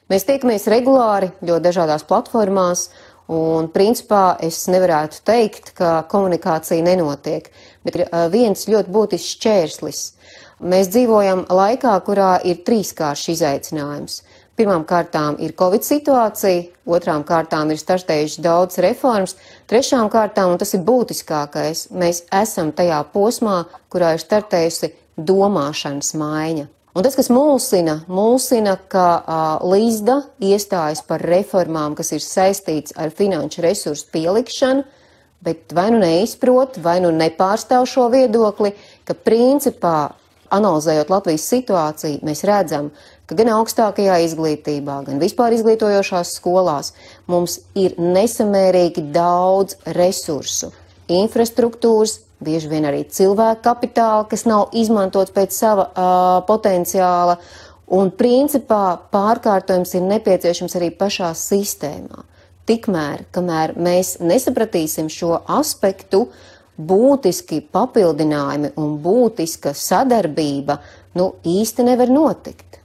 Mēs tiekamies regulāri ļoti dažādās platformās, un principā es nevarētu teikt, ka komunikācija nenotiek, bet ir viens ļoti būtisks šķērslis. Mēs dzīvojam laikā, kurā ir trīskāršs izaicinājums. Pirmām kārtām ir Covid situācija, otrām kārtām ir startējuši daudz reformas, trešām kārtām, un tas ir būtiskākais, mēs esam tajā posmā, kurā ir startējusi domāšanas maiņa. Un tas, kas mulsina, ka Līsda iestājas par reformām, kas ir saistīts ar finanšu resursu pielikšanu, bet vai nu neizprot, vai nu nepārstāv šo viedokli, ka principā, analizējot Latvijas situāciju, mēs redzam, ka gan augstākajā izglītībā, gan vispār izglītojošās skolās mums ir nesamērīgi daudz resursu, infrastruktūras, bieži vien arī cilvēku kapitāla, kas nav izmantots pēc sava potenciāla, un principā pārkārtojums ir nepieciešams arī pašā sistēmā. Tikmēr, kamēr mēs nesapratīsim šo aspektu, būtiski papildinājumi un būtiska sadarbība īsti nevar notikt.